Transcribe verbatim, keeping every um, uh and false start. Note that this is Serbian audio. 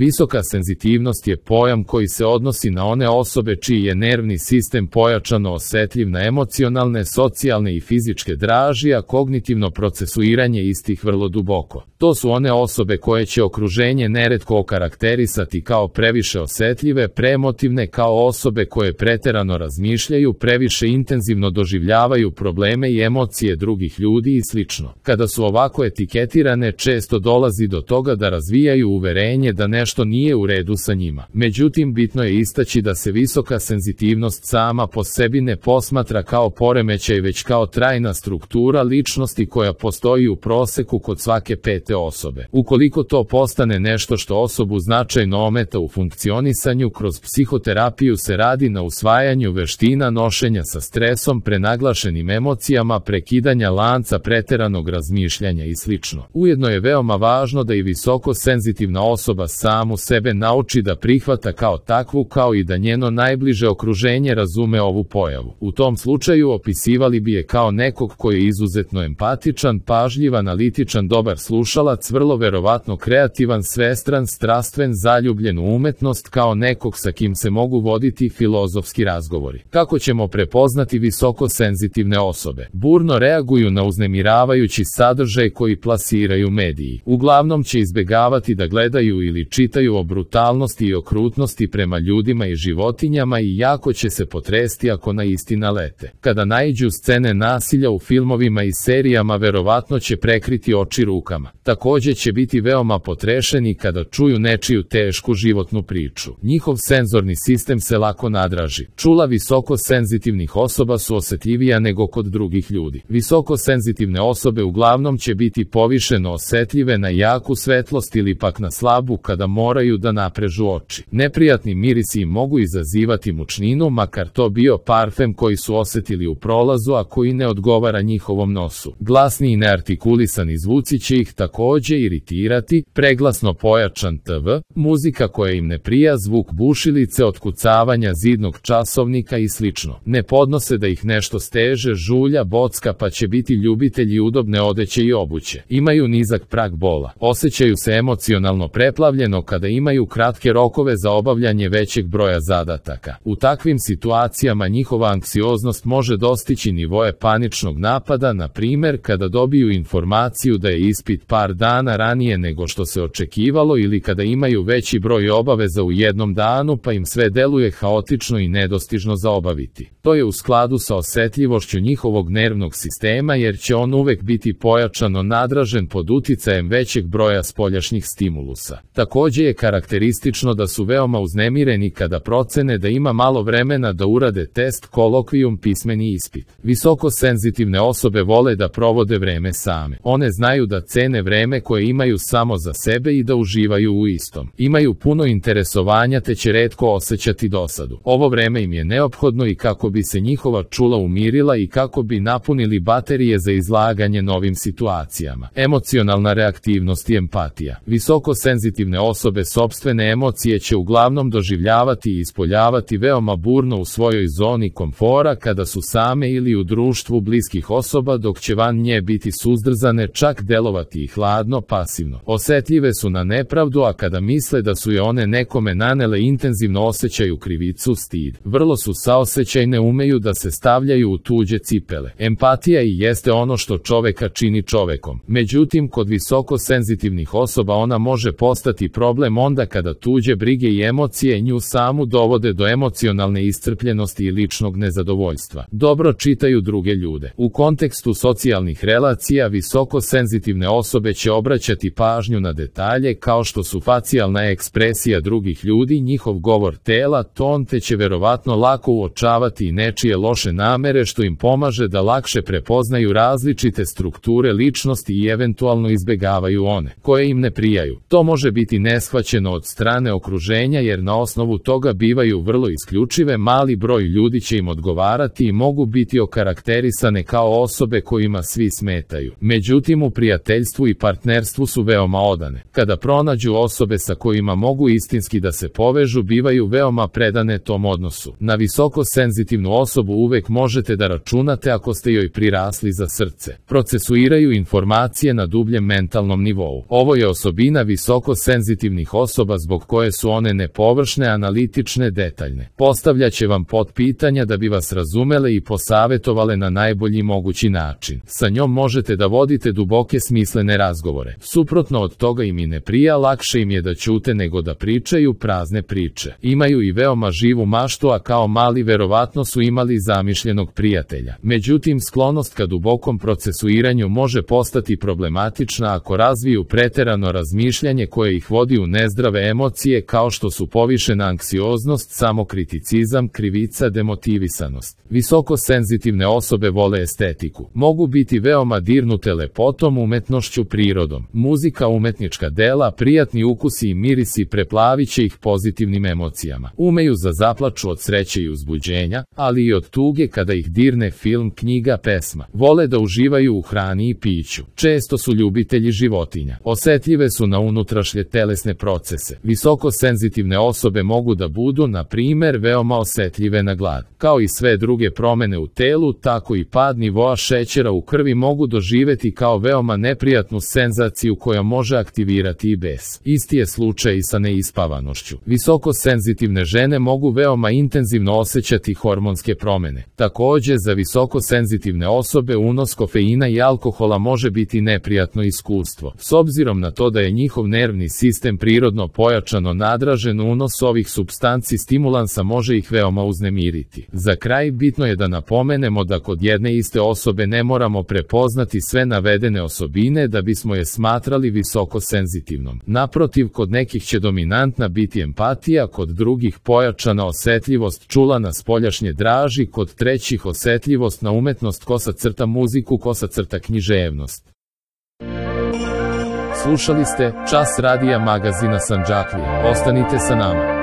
Visoka senzitivnost je pojam koji se odnosi na one osobe čiji je nervni sistem pojačano osjetljiv na emocionalne, socijalne i fizičke draži, a kognitivno procesuiranje istih vrlo duboko. To su one osobe koje će okruženje neretko okarakterisati kao previše osjetljive, preemotivne, kao osobe koje preterano razmišljaju, previše intenzivno doživljavaju probleme i emocije drugih ljudi i sl. Kada su ovako etiketirane, često dolazi do toga da razvijaju uverenje da nešto nije u redu sa njima. Međutim, bitno je istaći da se visoka senzitivnost sama po sebi ne posmatra kao poremećaj, već kao trajna struktura ličnosti koja postoji u proseku kod svake pete osobe. Ukoliko to postane nešto što osobu značajno ometa u funkcionisanju, kroz psihoterapiju se radi na usvajanju veština nošenja sa stresom, prenaglašenim emocijama, prekidanja lanca preteranog razmišljanja i sl. Ujedno je veoma važno da i visoko senzitivna osoba samu sebe nauči da prihvata kao takvu, kao i da njeno najbliže okruženje razume ovu pojavu. U tom slučaju opisivali bi je kao nekog koji je izuzetno empatičan, pažljiv, analitičan, dobar slušalac, vrlo verovatno kreativan, svestran, strastven, zaljubljen u umetnost, kao nekog sa kim se mogu voditi filozofski razgovori. Kako ćemo prepoznati visoko senzitivne osobe? Burno reaguju na uznemiravajući sadržaj koji plasiraju mediji. Uglavnom će izbegavati da gledaju ili čitaju o brutalnosti i okrutnosti prema ljudima i životinjama i jako će se potresti ako na isti nalete. Kada naiđu scene nasilja u filmovima i serijama, verovatno će prekriti oči rukama. Također će biti veoma potrešeni kada čuju nečiju tešku životnu priču. Njihov senzorni sistem se lako nadraži. Čula visoko senzitivnih osoba su osjetljivija nego kod drugih ljudi. Visoko senzitivne osobe uglavnom će biti povišeno osjetljive na jaku svetlost ili pak na slabu kada moraju da naprežu oči. Neprijatni mirisi im mogu izazivati mučninu, makar to bio parfem koji su osjetili u prolazu, a koji ne odgovara njihovom nosu. Glasni i neartikulisani zvuci će ih također iritirati, preglasno pojačan te ve, muzika koja im ne prija, zvuk bušilice, otkucavanja zidnog časovnika i sl. Ne podnose da ih nešto steže, žulja, bocka, pa će biti ljubitelji udobne odeće i obuće. Imaju nizak prag bola. Osjećaju se emocionalno preplavljeno kada imaju kratke rokove za obavljanje većeg broja zadataka. U takvim situacijama njihova anksioznost može dostići nivoe paničnog napada, na primjer kada dobiju informaciju da je ispit par dana ranije nego što se očekivalo ili kada imaju veći broj obaveza u jednom danu pa im sve deluje haotično i nedostižno za obaviti. To je u skladu sa osjetljivošću njihovog nervnog sistema, jer će on uvek biti pojačano nadražen pod uticajem većeg broja spoljašnjih stimulusa. Također je karakteristično da su veoma uznemireni kada procene da ima malo vremena da urade test, kolokvijum, pismeni ispit. Visoko senzitivne osobe vole da provode vreme same. One znaju da cene vreme koje imaju samo za sebe i da uživaju u istom. Imaju puno interesovanja te će retko osjećati dosadu. Ovo vreme im je neophodno i kako bi se njihova čula umirila i kako bi napunili baterije za izlaganje novim situacijama. Emocionalna reaktivnost i empatija. Visoko senzitivne osobe sopstvene emocije će uglavnom doživljavati i ispoljavati veoma burno u svojoj zoni komfora kada su same ili u društvu bliskih osoba, dok će van nje biti suzdržane, čak delovati i hladno, pasivno. Osjetljive su na nepravdu, a kada misle da su je one nekome nanele, intenzivno osjećaju krivicu, stid. Vrlo su saosećajne, umeju da se stavljaju u tuđe cipele. Empatija i jeste ono što čoveka čini čovekom. Međutim, kod visoko senzitivnih osoba ona može postati problem onda kada tuđe brige i emocije nju samu dovode do emocionalne iscrpljenosti i ličnog nezadovoljstva. Dobro čitaju druge ljude. U kontekstu socijalnih relacija visoko senzitivne osobe će obraćati pažnju na detalje kao što su facijalna ekspresija drugih ljudi, njihov govor tela, ton, te će verovatno lako uočavati i nečije loše namere, što im pomaže da lakše prepoznaju različite strukture ličnosti i eventualno izbegavaju one koje im ne prijaju. To može biti neshvaćeno od strane okruženja, jer na osnovu toga bivaju vrlo isključive, mali broj ljudi će im odgovarati i mogu biti okarakterisane kao osobe kojima svi smetaju. Međutim, u prijateljstvu i partnerstvu su veoma odane. Kada pronađu osobe sa kojima mogu istinski da se povežu, bivaju veoma predane tom odnosu. Na visoko senzitivnu osobu uvek možete da računate ako ste joj prirasli za srce. Procesuiraju informacije na dubljem mentalnom nivou. Ovo je osobina visoko senzitivnih senzitivnih osoba zbog koje su one nepovršne, analitične, detaljne. Postavljaće vam potpitanja da bi vas razumele i posavetovale na najbolji mogući način. Sa njom možete da vodite duboke smislene razgovore. Suprotno od toga im i ne prija, lakše im je da ćute nego da pričaju prazne priče. Imaju i veoma živu maštu, a kao mali verovatno su imali zamišljenog prijatelja. Međutim, sklonost ka dubokom procesuiranju može postati problematična ako razviju preterano razmišljanje koje ih vodi u nezdrave emocije kao što su povišena anksioznost, samokriticizam, krivica, demotivisanost. Visoko senzitivne osobe vole estetiku. Mogu biti veoma dirnute lepotom, umetnošću, prirodom. Muzika, umetnička dela, prijatni ukusi i mirisi preplaviće ih pozitivnim emocijama. Umeju da zaplaču od sreće i uzbuđenja, ali i od tuge kada ih dirne film, knjiga, pesma. Vole da uživaju u hrani i piću. Često su ljubitelji životinja. Osetljive su na unutrašnje telesne procese. Visoko senzitivne osobe mogu da budu, na primer, veoma osetljive na glad. Kao i sve druge promene u telu, tako i pad nivoa šećera u krvi mogu doživeti kao veoma neprijatnu senzaciju koja može aktivirati i bes. Isti je slučaj i sa neispavanošću. Visoko senzitivne žene mogu veoma intenzivno osjećati hormonske promene. Takođe, za visoko senzitivne osobe unos kofeina i alkohola može biti neprijatno iskustvo. S obzirom na to da je njihov nervni sistem prirodno pojačano nadražen, unos ovih supstanci stimulansa može ih veoma uznemiriti. Za kraj, bitno je da napomenemo da kod jedne iste osobe ne moramo prepoznati sve navedene osobine da bismo je smatrali visoko senzitivnom. Naprotiv, kod nekih će dominantna biti empatija, kod drugih pojačana osetljivost čula na spoljašnje draži, kod trećih osetljivost na umetnost, kosa crta muziku, kosa crta književnost. Slušali ste Čas radija magazina Sandžaklija. Ostanite sa nama.